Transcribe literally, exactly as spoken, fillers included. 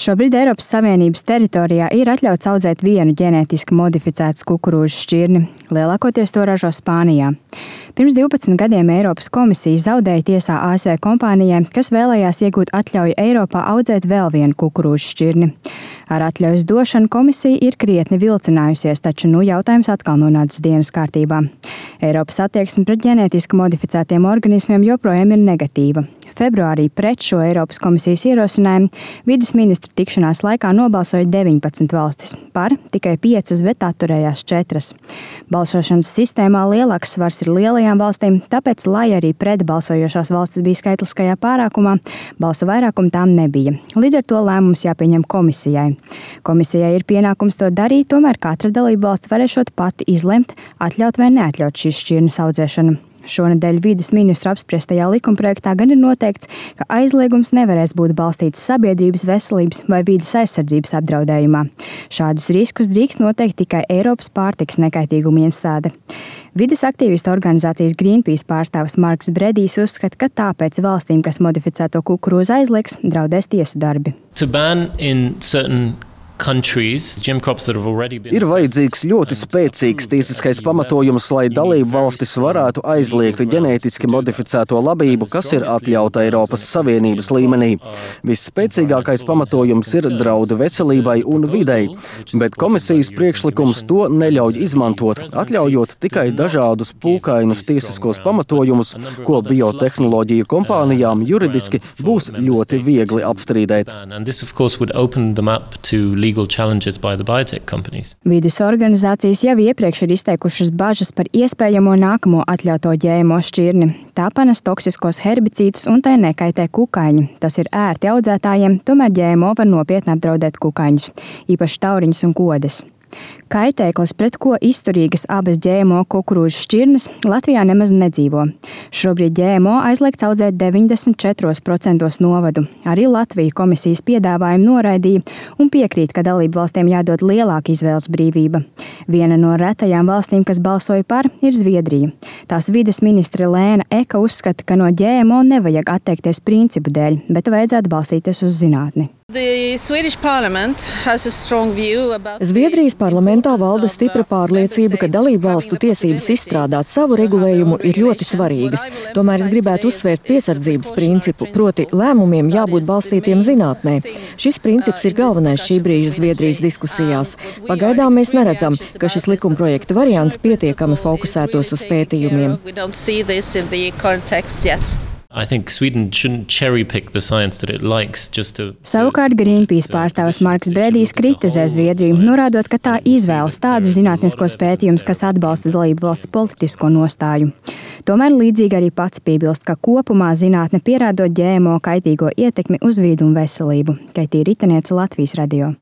Šobrīd Eiropas Savienības teritorijā ir atļauts audzēt vienu ģenētiski modificētas kukurūzu šķirni. Lielākoties to ražo Spānijā. Pirms divpadsmit gadiem Eiropas komisija zaudēja tiesā A S V kompānijai, kas vēlējās iegūt atļauju Eiropā audzēt vēl vienu kukurūzu šķirni. Ar atļaujas došanu komisija ir krietni vilcinājusies, taču nu jautājums atkal nonācis dienas kārtībā. Eiropas attieksme pret ģenētiski modificētiem organismiem joprojām ir negatīva. Februārī pret šo Eiropas komisijas ierosinājumu vides ministru tikšanās laikā nobalsoja deviņpadsmit valstis, par tikai piecas, bet atturējās četras. Balsošanas sistēmā lielāks svars ir lielajām valstīm, tāpēc, lai arī pret balsojošās valstis bija skaitliskajā pārākumā, balsu vairākumu tām nebija. Līdz ar to lēmums jāpieņem komisijai. Komisijai ir pienākums to darīt, tomēr katra dalība valsts varēšot pati izlemt, atļaut vai neatļaut šīs šķirnes audzēšanu. Šonedēļ vides ministru apspriestajā likumprojektā gan ir noteikts, ka aizliegums nevarēs būt balstīts sabiedrības veselības vai vides aizsardzības apdraudējumā. Šādus riskus drīkst noteikt tikai Eiropas pārtikas nekaitīguma iestāde. Vides aktīvistu organizācijas Greenpeace pārstāvis Marks Bredijs uzskata, ka tāpēc valstīm, kas modificēto kukurūzu aizliegs, draudēs tiesu darbi. Ir vajadzīgs ļoti spēcīgs tiesiskais pamatojums, lai dalību valstis varētu aizliegt ģenētiski modificēto labību, kas ir atļauta Eiropas Savienības līmenī. Visspēcīgākais pamatojums ir draudu veselībai un videi, bet komisijas priekšlikums to neļauj izmantot, atļaujot tikai dažādus pūkainus tiesiskos pamatojumus, ko biotehnoloģiju kompānijām juridiski būs ļoti viegli apstrīdēt. Vides organizācijas jau iepriekš ir izteikušas bažas par iespējamo nākamo atļauto G M O šķirni. Tā panes toksiskos herbicīdus un tai nekaitē kukaiņi. Tas ir ērti audzētājiem, tomēr G M O var nopietni apdraudēt kukaiņus, īpaši tauriņus un kodes. Kaitēklis, pret ko izturīgas abas G M O kukurūzu šķirnes, Latvijā nemaz nedzīvo. Šobrīd G M O aizliegts audzēt deviņdesmit četros procentos novadu. Arī Latvija komisijas piedāvājumu noraidīja un piekrīt, ka dalību valstīm jādod lielāka izvēles brīvība. Viena no retajām valstīm, kas balsoja par, ir Zviedrija. Tās vides ministre Lēna Eka uzskata, ka no G M O nevajag atteikties principu dēļ, bet vajadzētu balstīties uz zinātni. Zviedrijas parlamentā valda stipra pārliecība, ka dalību valstu tiesības izstrādāt savu regulējumu ir ļoti svarīgas. Tomēr es gribētu uzsvērt piesardzības principu, proti lēmumiem jābūt balstītiem zinātnē. Šis princips ir galvenais šī brīža Zviedrijas diskusijās. Pagaidām mēs neredzam, ka šis likumprojekta variants pietiekami fokusētos uz pētījumiem. Savukārt Greenpeace pārstāvis Marks Bredijs kritizē Zviedriju, norādot, ka tā izvēlas tādus zinātniskos pētījumus, kas atbalsta dalību valsts politisko nostāju. Tomēr līdzīgi arī pats piebilst, ka kopumā zinātne pierādot G M O kaitīgo ietekmi uz vīdu un veselību. Kaitī Ritenieca, Latvijas radio.